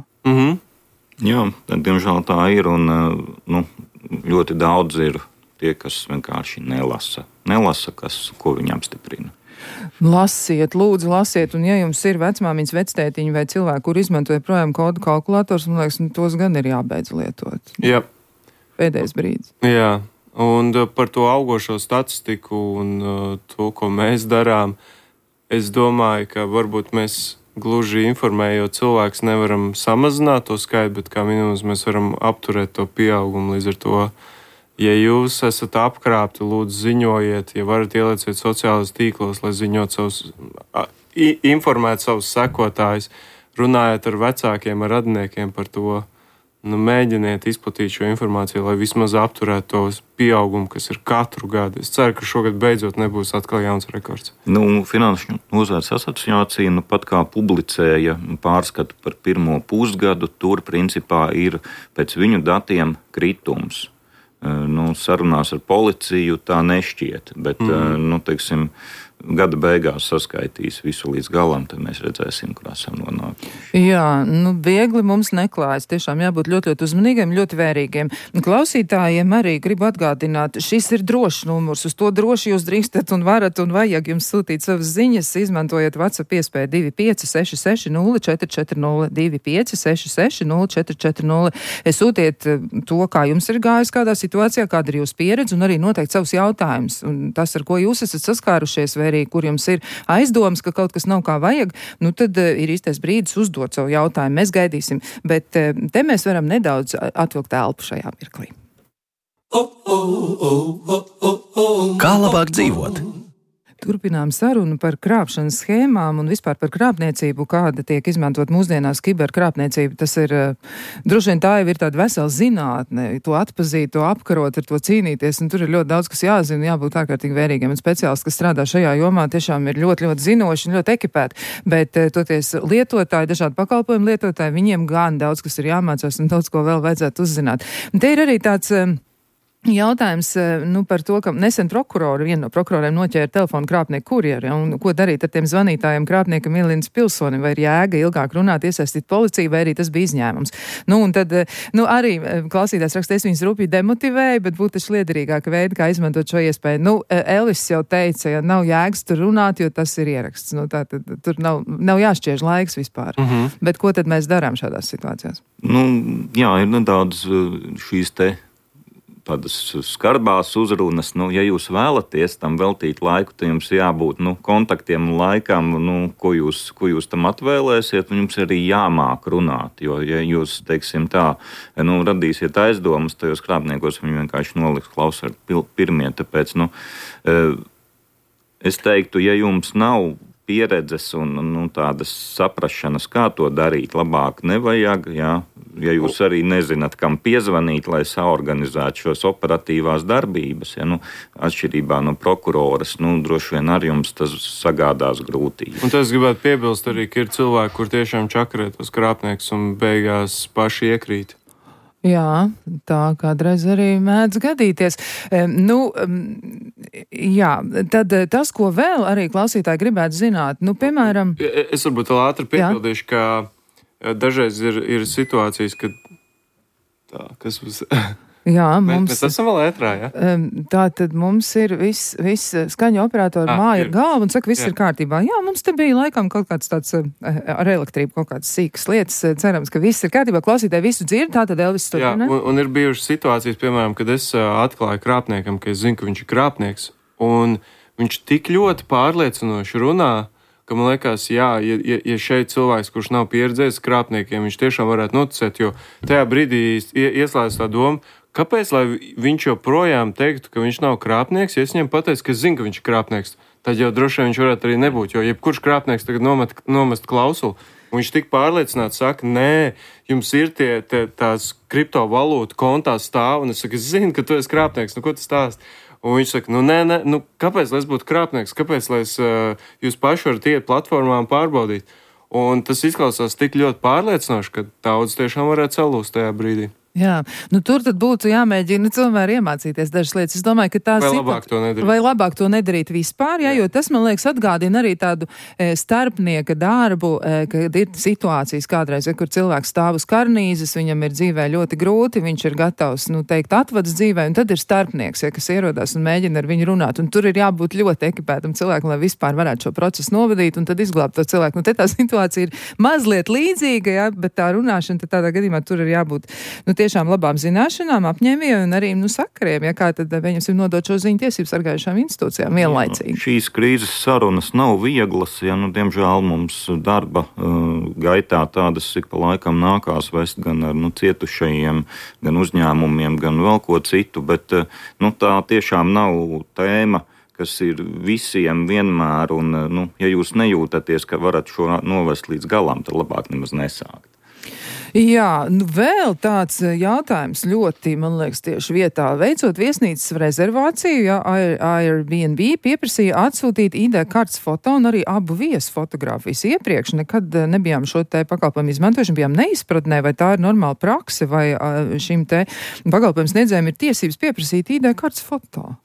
Jā, diemžēl tā ir, un ļoti daudz ir tie, kas vienkārši nelasa, ko viņi apstiprina. Lasiet, lūdzu, lasiet, un ja jums ir vecmāmiņas, vectētiņi vai cilvēki, kur izmantoja projām kodu kalkulators, man liekas, tos gan ir jābeidz lietot. Jā. Pēdējais brīdis. Jā, un par to augošo statistiku un to, ko mēs darām, es domāju, ka varbūt mēs gluži informējot cilvēks nevaram samazināt to skaitu, bet kā minimums mēs varam apturēt to pieaugumu. Līdz ar to, ja jūs esat apkrāpti, lūdzu ziņojiet, ja varat ielieciet sociālajos tīklos, lai ziņot informēt savus sekotājus, runājiet ar vecākiem, ar radiniekiem par to. Mēģiniet izplatīt šo informāciju, lai vismaz apturētu tos pieaugumu, kas ir katru gadu. Es ceru, ka šogad beidzot nebūs atkal jauns rekords. Finanšu nozares asociācija pat kā publicēja pārskatu par pirmo pusgadu, tur principā ir pēc viņu datiem kritums. Sarunās ar policiju tā nešķiet, bet, teiksim, gada beigās saskaitīs visu līdz galam, tad mēs redzēsim, kurā esam nonākuši. Jā, viegli mums neklājas. Tiešām jābūt ļoti, ļoti uzmanīgiem, ļoti vērīgiem. Klausītājiem arī gribu atgādināt, šis ir drošs numurs, uz to droši jūs drīkstat un varat un vajag jums sūtīt savas ziņas, izmantojot WhatsApp iespēju 2566 0440 2566 0440. Sūtiet to, kā jums ir gājis kādā situācijā, kāda ir jūsu pieredze un arī noteikti savus jautājumus. Un tas, ar ko jūs esat saskārušies, vai arī kur jums ir aizdomas, ka kaut kas nav kā vajag, tad ir īstais brīdis uzdot savu jautājumu. Mēs gaidīsim, bet te mēs varam nedaudz atvilkt elpu šajā mirklī. Kā labāk dzīvot? Turpinām sarunu par krāpšanas schēmām un vispār par krāpniecību, kāda tiek izmantot mūsdienās kiberkrāpniecība. Tas ir, droši vien tā jau ir tāda vesela zinātne, to atpazīt, to apkarot, ar to cīnīties, un tur ir ļoti daudz, kas jāzina, jābūt ārkārtīgi vērīgiem. Un speciālisti, kas strādā šajā jomā, tiešām ir ļoti, ļoti zinoši un ļoti ekipēti. Bet toties lietotāji, dažādi pakalpojumu lietotāji, viņiem gan daudz, kas ir jāmācās un daudz, ko vēl vajadzētu uzzināt. Un te ir arī tāds jautājums par to, ka nesen viena no prokuroriem noķēra telefonu krāpnieku kurjeri, un ko darīt ar tiem zvanītājiem krāpniekam Ilīnas pilsonim, vai ir jēga ilgāk runāt, iesaistīt policiju, vai arī tas bija izņēmums. Un tad, arī klausītājs raksta, es viņus rūpīgi demotivēju, bet būtu taču liederīgāka veida, kā izmantot šo iespēju. Elvis jau teica, ja nav jēgas tur runāt, jo tas ir ieraksts. Tātad tur nav jāšķiež laiks vispār. Bet ko tad mēs darām šādās situācijās? Jā, ir nedaudz šīs tādas skarbās uzrunas. Ja jūs vēlaties tam veltīt laiku, tad jums jābūt kontaktiem un laikam, ko jūs tam atvēlēsiet, un jums arī jāmāk runāt. Jo, ja jūs, teiksim tā, radīsiet aizdomas, tajos krāpniekos viņi vienkārši noliks klausu ar pirmie. Tāpēc, es teiktu, ja jums nav pieredzes un tādas saprašanas, kā to darīt, labāk nevajag. Ja jūs arī nezināt, kam piezvanīt, lai saorganizētu šos operatīvās darbības, atšķirībā no prokuroras, droši vien ar jums tas sagādās grūtības. Un tas gribētu piebilst arī, ka ir cilvēki, kur tiešām čakarē tos krāpnieks un beigās paši iekrīt. Jā, tā kādreiz arī mēdz gadīties. Jā, tad tas, ko vēl arī klausītāji gribētu zināt, piemēram... Es varbūt vēl ātri piebildīšu, ka dažreiz ir situācijas, kad kas būs... Jā, mēs esam vēl ētrā, ja? Tā tad mums ir viss skaņa operatori māja ir galva un saka, viss ir kārtībā. Jā, mums te bija laikam kaut kāds tāds ar elektrību, kaut kāds sīkas lietas. Cerams, ka viss ir kārtībā. Klausītāji visu dzird, tā tad Elvis tur, ne? Un ir bijušas situācijas, piemēram, kad es atklāju krāpniekam, ka es zinu, ka viņš ir krāpnieks, un viņš tik ļoti pārliecinoši runā, ka man liekas, ja šeit cilvēks, kurš nav pieredzējis krāpniekiem, viņš tiešām varētu noticēt, jo tajā brīdī ieslēdz tā doma, kāpēc, lai viņš joprojām teiktu, ka viņš nav krāpnieks, ja es viņam pateicu, ka es zinu, ka viņš ir krāpnieks, tad jau droši vien viņš varētu arī nebūt, jo jebkurš krāpnieks tagad nomest klausuli. Un viņš tik pārliecināts saka, nē, jums ir tās kriptovalūtu kontā stāv, un es saku, es zinu, ka tu esi krāpnieks, ko tu stāsti? Un viņš saka, nē, kāpēc lai es būtu krāpnieks, kāpēc lai es jūs paši varat iet platformām pārbaudīt? Un tas izklausās tik ļoti pārliecinoši, ka daudz tiešām varētu salūst tajā brīdī. Jā, tur tad būtu jāmēģina tomēr iemācīties dažas lietas. Es domāju, ka tās vai labāk to nedarīt vispār, jo tas, man liekas, atgādina arī tādu starpnieka darbu, kad ir situācijas kādreiz, kur cilvēks stāv uz karnīzes, viņam ir dzīvē ļoti grūti, viņš ir gatavs, teikt, atvads dzīvē, un tad ir starpnieks, kas ierodās un mēģina ar viņu runāt, un tur ir jābūt ļoti ekipētam cilvēkam, lai vispār varētu šo procesu novadīt, un tad izglābt to cilvēku. Te tā situācija ir mazliet līdzīga, bet tā runāšana, tad tādā gadījumā tur ir jābūt, tiešām labām zināšanām, apņēmiem un arī sakariem, kā tad viņam nodot šo ziņu tiesību sargājušām institūcijām vienlaicīgi. Šīs krīzes sarunas nav vieglas, diemžēl mums darba gaitā tādas ik pa laikam nākās vest gan ar cietušajiem, gan uzņēmumiem, gan vēl ko citu, bet tā tiešām nav tēma, kas ir visiem vienmēr, un ja jūs nejūtaties, ka varat šo novest līdz galam, tad labāk nemaz nesākt. Jā, vēl tāds jautājums ļoti, man liekas, tieši vietā. Veicot viesnīcas rezervāciju, Airbnb pieprasīja atsūtīt ID kartes foto un arī abu viesu fotogrāfijas iepriekš. Nekad nebijām šo te pakalpojumu izmantojuši, bijām neizpratnē, vai tā ir normāla prakse, vai šim te pakalpojumu sniedzējiem ir tiesības pieprasīt ID kartes foto.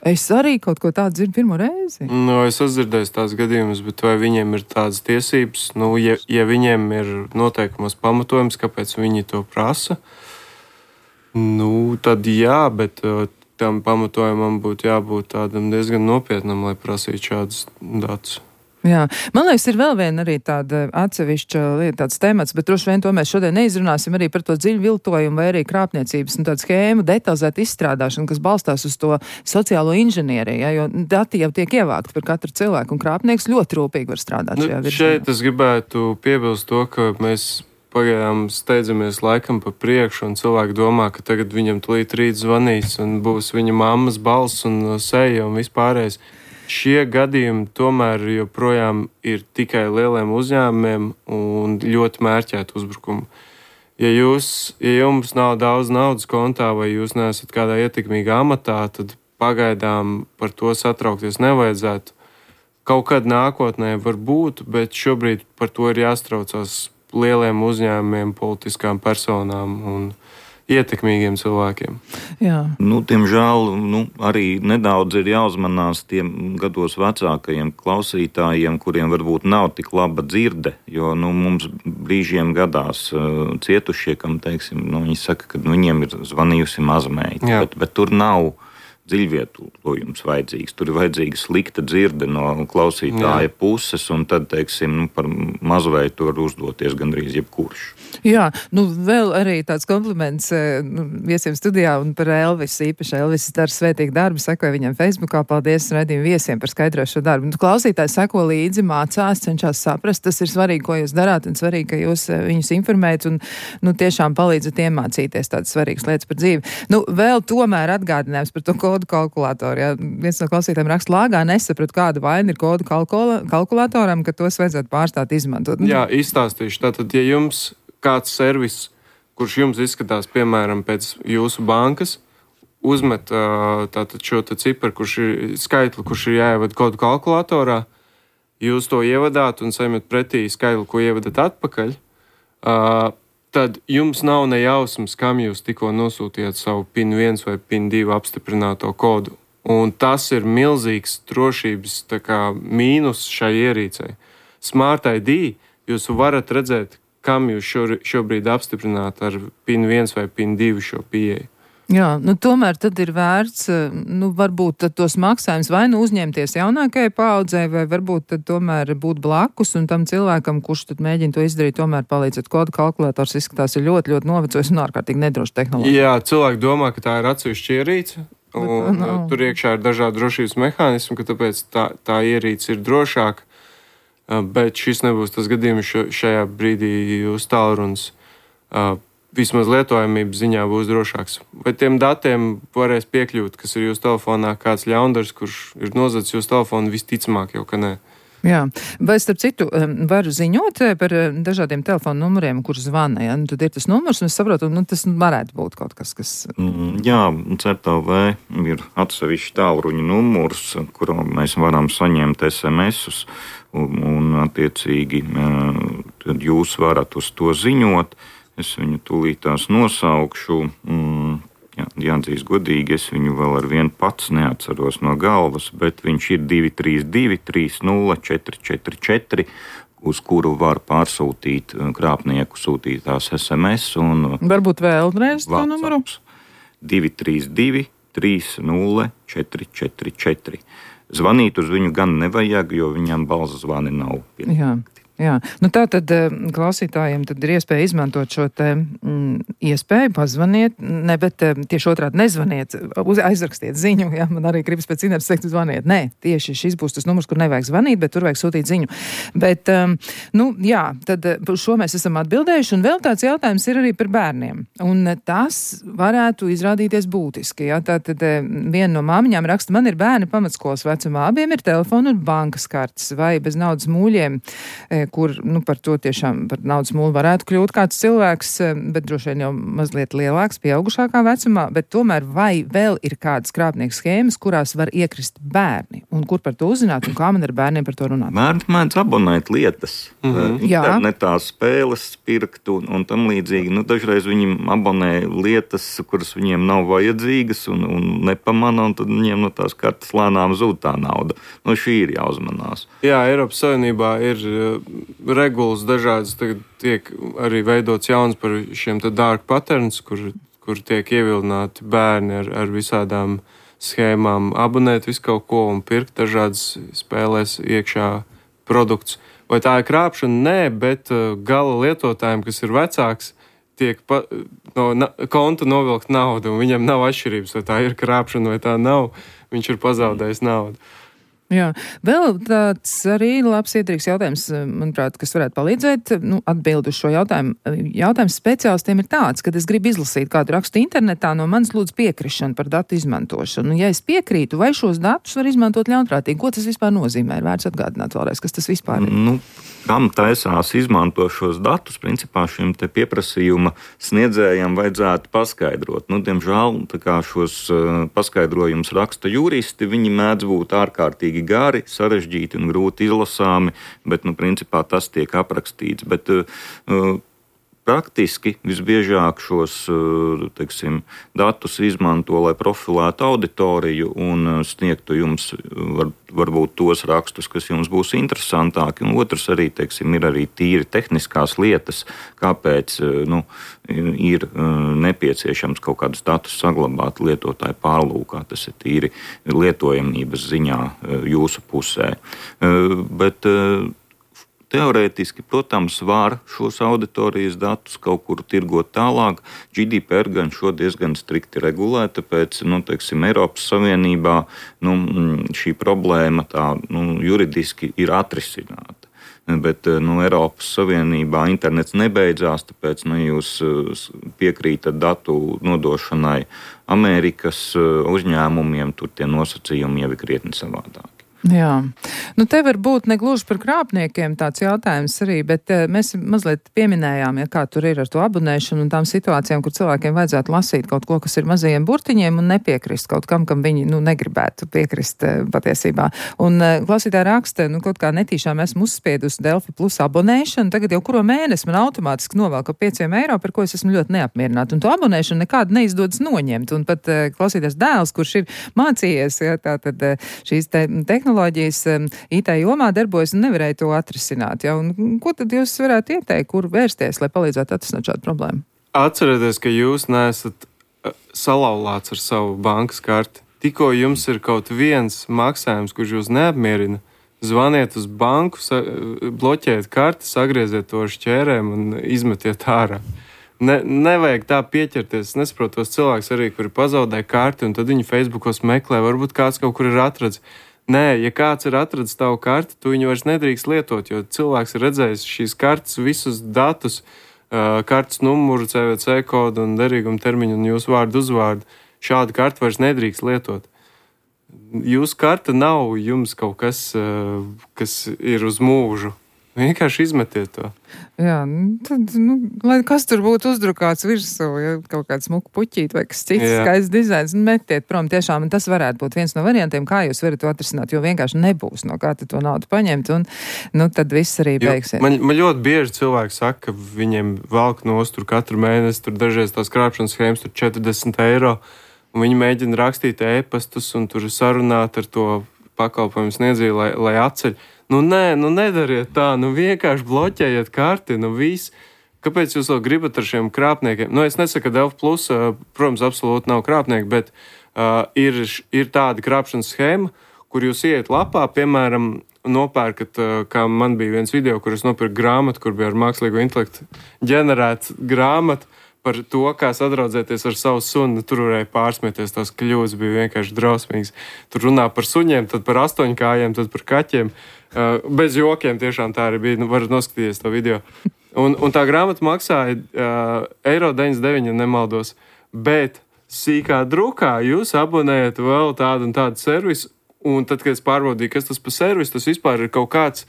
Es arī kaut ko tādu dzirdu pirmo reizi. Es dzirdēju tās gadījumus, bet vai viņiem ir tādas tiesības? Ja viņiem ir noteikumos pamatojums, kāpēc viņi to prasa, tad jā, bet tam pamatojumam būtu jābūt tādam diezgan nopietnam, lai prasītu šādus datus. Jā. Man liekas, ir vēl viena arī tāda atsevišķa lieta, tāds temats, bet droši vien to mēs šodien neizrunāsim arī par to dziļu viltojumu vai arī krāpniecības un tādu schēmu detalizētu izstrādāšanu, kas balstās uz to sociālo inženieriju, jo dati jau tiek ievākti par katru cilvēku un krāpnieks ļoti rūpīgi var strādāt šajā virzienā. Šeit es gribētu piebilst to, ka mēs pagaidām steidzamies laikam pa priekšu un cilvēki domā, ka tagad viņam tūlīt rīt zvanīs un būs viņa mammas balss un seja un vispārējais. Šie gadījumi tomēr joprojām ir tikai lieliem uzņēmumiem un ļoti mērķēti uzbrukumi. Ja jums nav daudz naudas kontā vai jūs neesat kādā ietekmīgā amatā, tad pagaidām par to satraukties nevajadzētu. Kaut kad nākotnē var būt, bet šobrīd par to ir jāstraucās lieliem uzņēmumiem, politiskām personām un ietekmīgiem cilvēkiem. Jā. Diemžēl arī nedaudz ir jāuzmanās tiem gados vecākajiem klausītājiem, kuriem varbūt nav tik laba dzirde, jo mums brīžiem gadās cietušie, kam viņi saka, ka viņiem ir zvanījusi mazmeita, bet tur nav dziļvietojums vajadzīgs. Tur ir vajadzīga slikta dzirde no klausītāja puses, un tad, par mazveitu var uzdoties gandrīz jebkurš. Jā, vēl arī tāds kompliments viesiem studijā un par Elvisu īpaši. Elvis dara svētīgu darbu, sekoja viņam Facebookā. Paldies raidījumu viesiem par skaidrošo darbu. Klausītāji seko līdzi, mācās, cenšas saprast. Tas ir svarīgi, ko jūs darāt, un svarīgi, ka jūs viņus informējat un tiešām palīdzat iemācīties tādas svarīgas lietas par dzīvi. Vēl tomēr atgādinājums par to kodu kalkulātoru. Ja viens no klausītājiem raksta lāgā, nesapratu, kāda vaina ir kodu kalkulātoram, ka tos vajadzētu pārstāt izmantot. Jā, izstāstīšu. Tātad, ja jums kāds servis, kurš jums izskatās, piemēram, pēc jūsu bankas, uzmet tātad šo ciparu, skaitli, kurš ir jāievada kodu kalkulatorā, jūs to ievadāt un saņemat pretī skaitli, ko ievadat atpakaļ, tad jums nav ne jausmas, kam jūs tikko nosūtījāt savu PIN 1 vai PIN 2 apstiprināto kodu. Un tas ir milzīgs drošības mīnus šai ierīcei. Smart ID jūs varat redzēt, kam jūs šobrīd apstiprināt ar PIN 1 vai PIN 2 šo pieeju. Jā, tomēr tad ir vērts, varbūt tad tos maksājums vai uzņemties jaunākajai paaudzei, vai varbūt tad tomēr būt blakus un tam cilvēkam, kurš tad mēģina to izdarīt, tomēr palīdzēt. Kodu kalkulators izskatās ir ļoti, ļoti novecojis un ārkārtīgi nedroša tehnoloģija. Jā, cilvēki domā, ka tā ir atsevišķa ierīce, un tur iekšā ir dažādi drošības mehānismi, ka tāpēc tā ierīce ir drošāka, bet šis nebūs tas gadījums šajā brīdī jūs tālrunis. Vismaz lietojamības ziņā būs drošāks. Vai tiem datiem varēs piekļūt, kas ir jūsu telefonā, kāds ļaundars, kurš ir nozadzis jūsu telefonu, visticamāk jau, ka nē. Jā, vai starp citu varu ziņot par dažādiem telefonu numuriem, kur zvana, ja? Nu, tad ir tas numurs, un es saprotu, tas varētu būt kaut kas, kas... Jā, CERTLV ir atsevišķi tālruņa numurs, kurā mēs varam saņemt SMS-us, un attiecīgi tad jūs varat uz to ziņot. Es viņu tūlītās nosaukšu. Jāatzīst godīgi, es viņu vēl ar vienu pats neatceros no galvas, bet viņš ir 232 30444, uz kuru var pārsūtīt krāpnieku sūtītās SMS. Varbūt vēlreiz to numuru? 232 30444. Zvanīt uz viņu gan nevajag, jo viņam balss zvani nav pietiekami. Jā, tā tad klausītājiem tad ir iespēja izmantot šo te iespēju, pazvaniet, bet tieši otrādi nezvaniet, aizrakstiet ziņu, jā, man arī gribas pēc inerces teikt, zvaniet. Nē, tieši šis būs tas numurs, kur nevajag zvanīt, bet tur vajag sūtīt ziņu. Bet, jā, tad šo mēs esam atbildējuši, un vēl tāds jautājums ir arī par bērniem. Un tas varētu izrādīties būtiski, jā, tātad viena no māmiņām raksta, man ir bērni pamatskolas vecumā, abiem ir telefonu un bankas kartes, vai bez naudas mūļiem, kur, par to tiešām par naudas mūlu varētu kļūt kāds cilvēks, bet droši vien jau mazliet lielāks, pieaugušākā vecumā, bet tomēr vai vēl ir kādas krāpnieku schēmas, kurās var iekrist bērni, un kur par to uzzināt, un kā man ar bērniem par to runāt? Bērni mēdz abonēt lietas, internetā spēles pirkt un tam līdzīgi. Dažreiz viņi abonē lietas, kuras viņiem nav vajadzīgas un nepamana, un tad viņiem no tās kartes lēnām zūd tā nauda. Šī ir jāuzmanās. Jā, Eiropas Savienībā ir regulas dažādas, tagad tiek arī veidots jauns par šiem te dark patterns, kur tiek ievilināti bērni ar visādām schēmām, abonēt visu kaut ko un pirkt dažādas spēlēs iekšā produkts. Vai tā ir krāpšana? Nē, bet gala lietotājiem, kas ir vecāks, tiek no konta novilkt naudu, un viņam nav atšķirības, vai tā ir krāpšana, vai tā nav. Viņš ir pazaudējis naudu. Jā, vēl tāds arī labs ietrīgs jautājums, manuprāt, kas varētu palīdzēt atbildi uz šo jautājumu. Jautājums speciālistiem ir tāds, kad es gribu izlasīt kādu rakstu internetā, no manis lūdzu piekrišanu par datu izmantošanu. Ja es piekrītu, vai šos datus var izmantot ļaunprātīgi, ko tas vispār nozīmē? Ir vērts atgādināt vēlreiz, kas tas vispār ir. Kam taisās izmanto šos datus, principā šim te pieprasījuma sniedzējiem vajadzētu paskaidrot. Diemžēl šos paskaidrojumus raksta juristi, viņi mēdz būt ārkārtīgi gari, sarežģīti un grūti izlasāmi, bet, principā tas tiek aprakstīts. Bet praktiski visbiežāk šos, datus izmanto, lai profilētu auditoriju un sniegtu jums varbūt tos rakstus, kas jums būs interesantāki. Un otrs arī, ir arī tīri tehniskās lietas, kāpēc ir nepieciešams kaut kādus datus saglabāt lietotāju pārlūkā. Tas ir tīri lietojamības ziņā jūsu pusē. Bet teorētiski, protams, var šos auditorijas datus kaut kur tirgot tālāk. GDPR gan šo diezgan strikti regulē, tāpēc, Eiropas Savienībā šī problēma juridiski ir atrisināta. Bet Eiropas Savienībā internets nebeidzās, tāpēc jūs piekrītat datu nodošanai Amerikas uzņēmumiem, tur tie nosacījumi jau ir krietni savādāk. Jā, te var būt negluži par krāpniekiem tāds jautājums arī, bet mēs mazliet pieminējām, kā tur ir ar to abonēšanu un tām situācijām, kur cilvēkiem vajadzētu lasīt kaut ko, kas ir mazajiem burtiņiem un nepiekrist kaut kam viņi negribētu piekrist patiesībā. Un klausītāji raksta, kaut kā netīšām esmu uzspiedusi Delfi Plus abonēšanu, tagad jau kuro mēnesi man automātiski novelk ap 5 eiro, par ko es esmu ļoti neapmierināta. Un to abonēšanu nekādu neizdodas noņemt. Un pat klausītājs dēls, kurš ir mācījies, tātad šīs tehnoloģijas IT jomā darbojas un nevarēja to atrisināt. Ja? Un ko tad jūs varētu ieteikt, kur vērsties, lai palīdzētu atrisināt šādu problēmu? Atcerieties, ka jūs neesat salauzāts ar savu bankas karti. Tikko jums ir kaut viens maksājums, kurš jūs neapmierina, zvaniet uz banku, bloķējiet karti, sagrieziet to ar šķērēm un izmetiet ārā. Nevajag tā pieķerties. Es nesaprotu tos cilvēkus arī, kuri pazaudē karti, un tad viņi Facebookos meklē, varbūt kāds kaut kur ir atrads. Nē, ja kāds ir atradis tavu karti, tu viņu vairs nedrīkst lietot, jo cilvēks ir redzējis šīs kartes, visus datus, kartes numuru, CVC kodu un derīguma termiņu un jūsu vārdu uzvārdu. Šādu karti vairs nedrīkst lietot. jūsu karta nav jums kaut kas, kas ir uz mūžu. Vienkārši izmetiet to. Jā, tad, lai kas tur būtu uzdrukāts virsū, ja kaut kāds smuku puķīt vai kas cits skaists dizains, metiet prom. Tiešām tas varētu būt viens no variantiem, kā jūs varat to atrisināt, jo vienkārši nebūs no kā to naudu paņemt, un tad viss arī beigsies. Man ļoti bieži cilvēki saka, ka viņiem valk nost tur katru mēnesi, tur dažreiz tās krāpšanas schēmas, tur 40 eiro, un viņi mēģina rakstīt ēpastus un tur sarunāt ar to pakalpojumu sniedzēju, lai atceļ. Nedariet tā, vienkārši bloķējiet karti, viss. Kāpēc jūs vēl gribat ar šiem krāpniekiem? Es nesaku, ka Delfi Plus, protams, absolūti nav krāpnieki, bet ir tāda krāpšanas schēma, kur jūs ieiet lapā, piemēram, nopērkat, kā man bija viens video, kur es nopirku grāmatu, kur bija ar mākslīgo intelektu ģenerēta grāmata par to, kā sadraudzēties ar savu suni. Tur varēja pārsmieties, tās kļūdas bija vienkārši drausmīgas. Tur runā par suņiem, tad par 8 kājiem, tad par kaķiem. Bez jokiem tiešām tā arī bija. Varat noskatīties to video. Un tā grāmata maksāja €1,99, ja nemaldos. Bet sīkā drukā jūs abonējat vēl tādu un tādu servisu. Un tad, kad es pārbaudīju, kas tas par servisu, tas vispār ir kaut kāds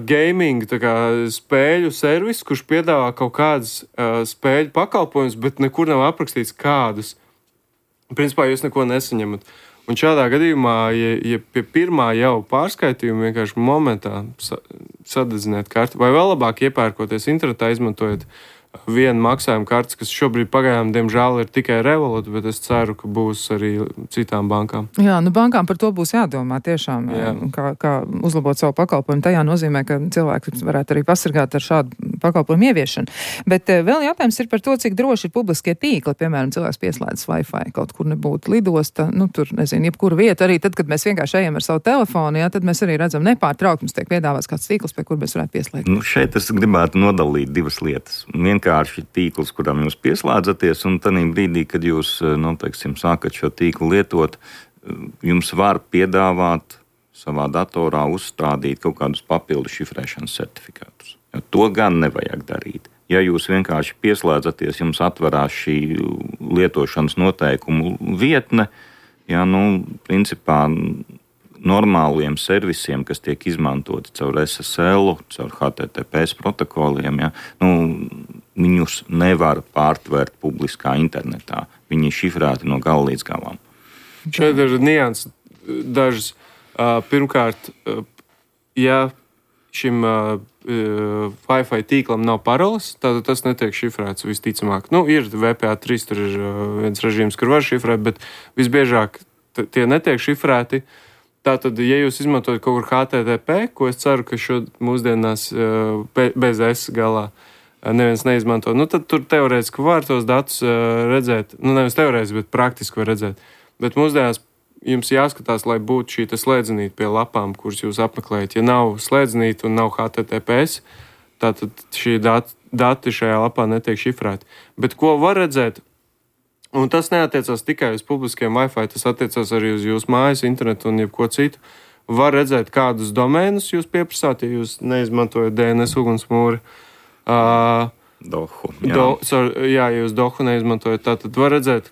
gaming, tā kā spēļu servis, kurš piedāvā kaut kādas spēļu pakalpojumus, bet nekur nav aprakstīts kādus. Principā jūs neko nesaņemat. Un šādā gadījumā, ja pie pirmā jau pārskaitījuma vienkārši momentā sadedziniet karti, vai vēl labāk iepērkoties internetā, izmantojot vienu maksājumu kartes, kas šobrīd pagaidām, diemžēl, ir tikai Revolut, bet es ceru, ka būs arī citām bankām. Jā, bankām par to būs jādomā tiešām, kā uzlabot savu pakalpojumu. Tajā nozīmē, ka cilvēks varētu arī pasargāt ar šādu pakalpojumu ieviešanu. Bet vēl jautājums ir par to, cik droši ir publiskie tīkli. Piemēram, cilvēks pieslēdz Wi-Fi, kaut kur nebūtu lidosta, tur, nezinu, jebkura vieta. Arī tad, kad mēs vienkārši ejam ar savu telefonu, tad mēs arī redzam nepārtraukt, mums tiek piedāvāts kāds tīkls, pie kur mēs varētu pieslēgt. Šeit es gribētu nodalīt divas lietas. Vienkārši tīkls, kuram jūs pieslēdzaties, un tajā brīdī, kad jūs, sākat šo tīklu lietot, jums var piedāvāt savā datorā uzstādīt kaut kādus papildu šifrēšanas certifikātus. To gan nevajag darīt. Ja jūs vienkārši pieslēdzaties, jums atverās šī lietošanas noteikumu vietne, principā normāliem servisiem, kas tiek izmantoti caur SSL, caur HTTPS protokoliem, viņus nevar pārtvērt publiskā internetā. Viņi ir šifrēti no gala līdz galam. Šeit ir nianses dažas. Pirmkārt, ja šim Wi-Fi tīklam nav paroles, tad tas netiek šifrēts visticamāk. Ir VPA3, tur ir viens režīms, kur var šifrēt, bet visbiežāk tie netiek šifrēti. Tātad, ja jūs izmantojat kaut kur HTTP, ko es ceru, ka mūsdienās bez S galā neviens neizmanto, tad tur teorētiski var tos datus redzēt. Nevis teorētiski, bet praktiski var redzēt. Bet mūsdienās jums jāskatās, lai būtu šī slēdzenīte pie lapām, kuras jūs apmeklējat. Ja nav slēdzenīte un nav HTTPS, tātad šī dati šajā lapā netiek šifrēti. Bet ko var redzēt? Un tas neatiecās tikai uz publiskiem Wi-Fi, tas attiecās arī uz jūsu mājas internetu un jebko citu. Var redzēt, kādus domēnus jūs pieprasāt, ja jūs neizmantojat DNS ugunsmūri. Dohu. Ja jūs Dohu neizmantojat, tad var redzēt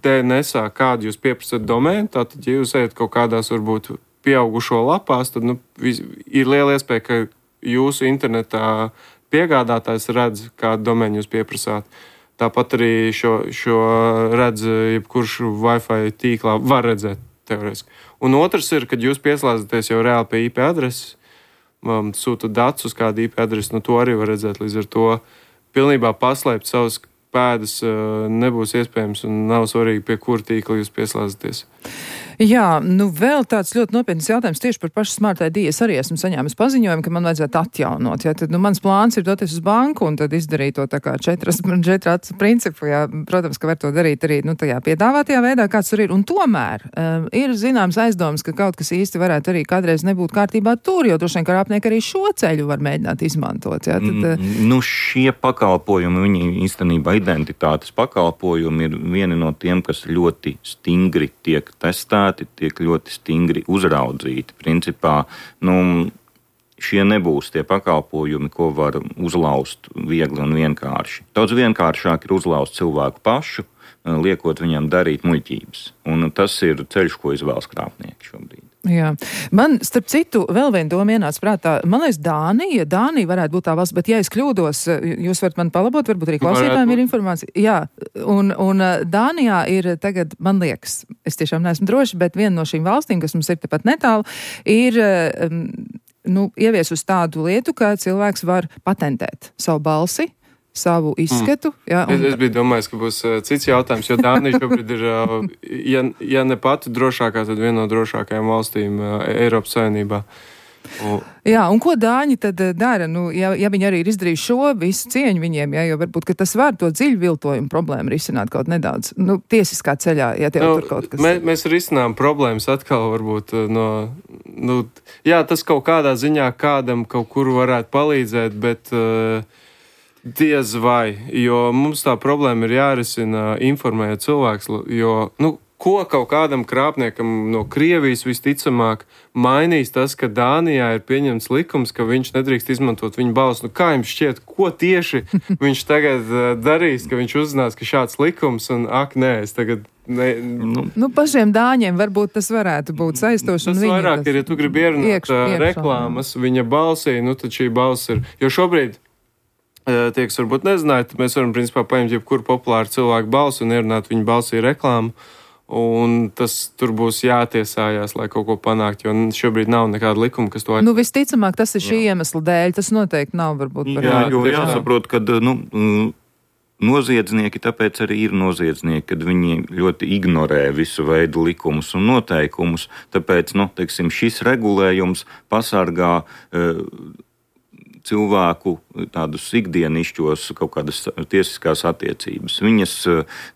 DNS-ā, kādu jūs pieprasat domēnu. Tātad, ja jūs ejat kaut kādās varbūt pieaugušo lapās, tad ir liela iespēja, ka jūsu internetā piegādātājs redz, kādu domēnu jūs pieprasāt. Tāpat arī šo redz, jebkurš Wi-Fi tīklā var redzēt teorētiski. Un otrs ir, kad jūs pieslēdzaties jau reāli pie IP adreses, sūtat datus uz kādu IP adresi, to arī var redzēt. Līdz ar to pilnībā paslēpt savas pēdas nebūs iespējams un nav svarīgi, pie kura tīkla jūs pieslēdzaties. Jā, vēl tāds ļoti nopietns jautājums tieši par pašu Smart ID. Es arī esmu saņēmis paziņojumu, ka man vajadzētu atjaunot. Tad mans plāns ir doties uz banku un tad izdarīt to tā kā 4 principu. Jā, protams, ka var to darīt arī tajā piedāvātajā veidā, kāds tur ir. Un tomēr ir zināms aizdoms, ka kaut kas īsti varētu arī kādreiz nebūt kārtībā tur, jo droši vien krāpnieki arī šo ceļu var mēģināt izmantot. Jā, tad, šie pakalpojumi, viņi īstenībā identitātes pakalpojumi ir vieni no tiem, kas ļoti stingri tiek testēti. Tiek ļoti stingri uzraudzīti. Principā, šie nebūs tie pakalpojumi, ko var uzlauzt viegli un vienkārši. Daudz vienkāršāk ir uzlauzt cilvēku pašu, liekot viņam darīt muļķības. Un tas ir ceļš, ko izvēlas krāpnieki šobrīd. Jā. Man, starp citu, vēl viena doma ienāca prātā. Man liekas, Dānija varētu būt tā valsts, bet ja es kļūdos, jūs varat man palabot, varbūt arī klausītājiem ir informācija. Jā, un Dānijā ir tagad, man liekas, es tiešām neesmu droši, bet viena no šīm valstīm, kas mums ir tepat netālu, ir ieviesus tādu lietu, ka cilvēks var patentēt savu balsi, savu izskatu. Jā, es biju domājis, ka būs cits jautājums, jo Dānija šobrīd ir, ja ne pati drošākā, tad viena no drošākajām valstīm Eiropas Savienībā. Jā, un ko Dāņi tad dara? Ja viņi arī ir izdarījuši šo, visu cieņu viņiem, jo varbūt, ka tas var to dziļu viltojumu problēmu risināt kaut nedaudz, tiesiskā ceļā, ja tev tur kaut kas... Mēs risinām problēmas atkal varbūt tas kaut kādā ziņā kādam kaut kur varētu palīdzēt, bet... Diez vai, jo mums tā problēma ir jārisina informējot cilvēks, jo, ko kaut kādam krāpniekam no Krievijas visticamāk mainīs tas, ka Dānijā ir pieņemts likums, ka viņš nedrīkst izmantot viņa balsi. Kā jums šķiet, ko tieši viņš tagad darīs, ka viņš uzzinās, ka šāds likums, un es tagad... pašiem Dāņiem varbūt tas varētu būt saistoši. Tas vairāk ir, ja tu gribi ierunāt reklāmas viņa balsī, tad šī balss ir, jo šobrīd tie, kas varbūt nezināja, tad mēs varam principā paņemt jebkuru populāru cilvēku balsi un ierunāt viņu balsī reklāmu, un tas tur būs jātiesājās, lai kaut ko panākt, jo šobrīd nav nekāda likuma, kas to aizstāv. Visticamāk, tas ir šī iemesla dēļ, tas noteikti nav varbūt par jo jāsaprot, ka noziedznieki tāpēc arī ir noziedznieki, kad viņi ļoti ignorē visu veidu likumus un noteikumus, tāpēc, šis regulējums pasargā cilvēku tādus ikdienišķos kaut kādas tiesiskās attiecības. Viņas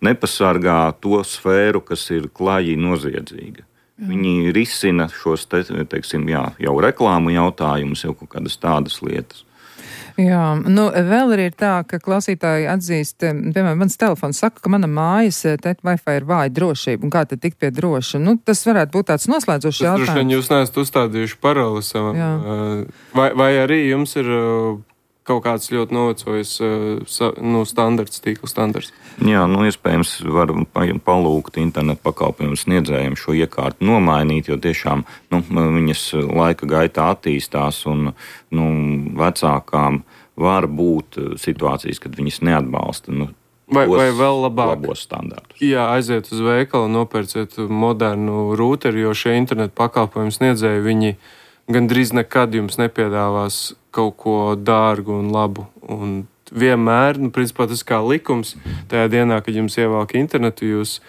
nepasargā to sfēru, kas ir klāji noziedzīga. Viņi risina šos, jau reklāmu jautājumus, jau kaut kādas tādas lietas. Jā, vēl arī ir tā, ka klausītāji atzīst, piemēram, mans telefons saka, ka mana mājas Wi-Fi ir vāja drošība, un kā tad tikt pie droša? Tas varētu būt tāds noslēdzošs jautājums. Tas droši vien jūs neesat uzstādījuši paroli savam. Vai arī jums ir kaut kāds ļoti novecojis standarts, tīkla standarts? Jā, iespējams var palūgt internetu pakalpojumu sniedzējiem šo iekārtu nomainīt, jo tiešām viņas laika gaitā attīstās un vecākām var būt situācijas, kad viņas neatbalsta vai vēl labāk labos standartus. Jā, aiziet uz veikalu, nopērciet modernu rūteri, jo šie internetu pakalpojumu sniedzēji, viņi gandrīz nekad jums nepiedāvās kaut ko dārgu un labu. Un vienmēr, principā tas kā likums, tajā dienā, kad jums ievelk internetu, jūs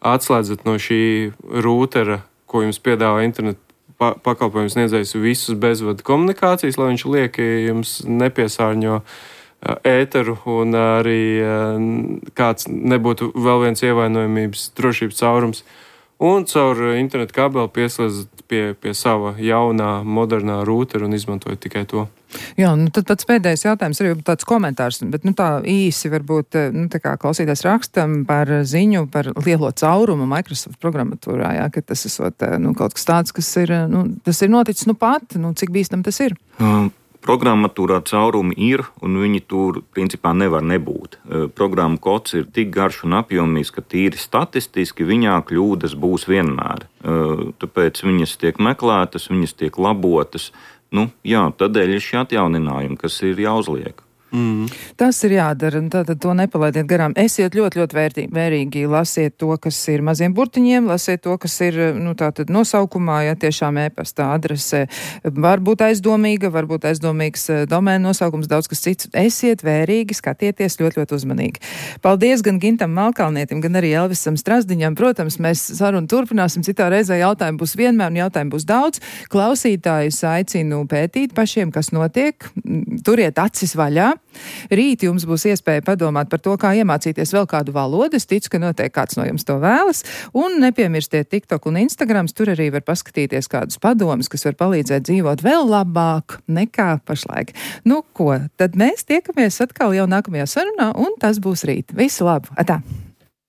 atslēdzat no šī rūtera, ko jums piedāvā internetu pakalpojumu sniedzējs, visus bezvadu komunikācijas, lai viņš lieki jums nepiesārņo ēteru un arī kāds nebūtu vēl viens ievainojamības drošības caurums. Un caur internetu kabeli pieslēdzat pie sava jaunā, modernā rūtera un izmantojat tikai to. Jā, tad pats pēdējais jautājums arī tāds komentārs, bet tā īsi varbūt, tā kā klausītājs rakstam par ziņu par lielo caurumu Microsoft programmatūrā, ka tas esot kaut kas tāds, kas ir, tas ir noticis pat, cik bīstam tas ir? Programmatūrā caurumi ir, un viņi tur principā nevar nebūt. Programmu kods ir tik garš un apjomīgs, ka tīri statistiski viņā kļūdas būs vienmēr. Tāpēc viņas tiek meklētas, viņas tiek labotas. Tādēļ ir šie atjauninājumi, kas ir jāuzliek. Tas ir jādara, un tātad to nepalaidiet garām. Esiet ļoti, ļoti vērīgi, lasiet to, kas ir maziem burtiņiem, lasiet to, kas ir, tātad nosaukumā, tiešām e-pasta adrese var būt aizdomīga, varbūt aizdomīgs domēna nosaukums, daudz kas cits. Esiet vērīgi, skatieties ļoti, ļoti uzmanīgi. Paldies gan Gintam Malkalnietim, gan arī Elvisam Strazdiņam. Protams, mēs sarunu turpināsim citā reizē, jautājumu būs vienmēr un jautājumu būs daudz. Klausītājus aicinu pētīt pašiem, kas notiek. Turiet acis vaļā. Rīt jums būs iespēja padomāt par to, kā iemācīties vēl kādu valodu. Es ticu, ka noteikti kāds no jums to vēlas. Un nepiemirstiet TikTok un Instagrams. Tur arī var paskatīties kādus padomus, kas var palīdzēt dzīvot vēl labāk nekā pašlaik. Tad mēs tiekamies atkal jau nākamajā sarunā, un tas būs rīt. Visu labu! Atā!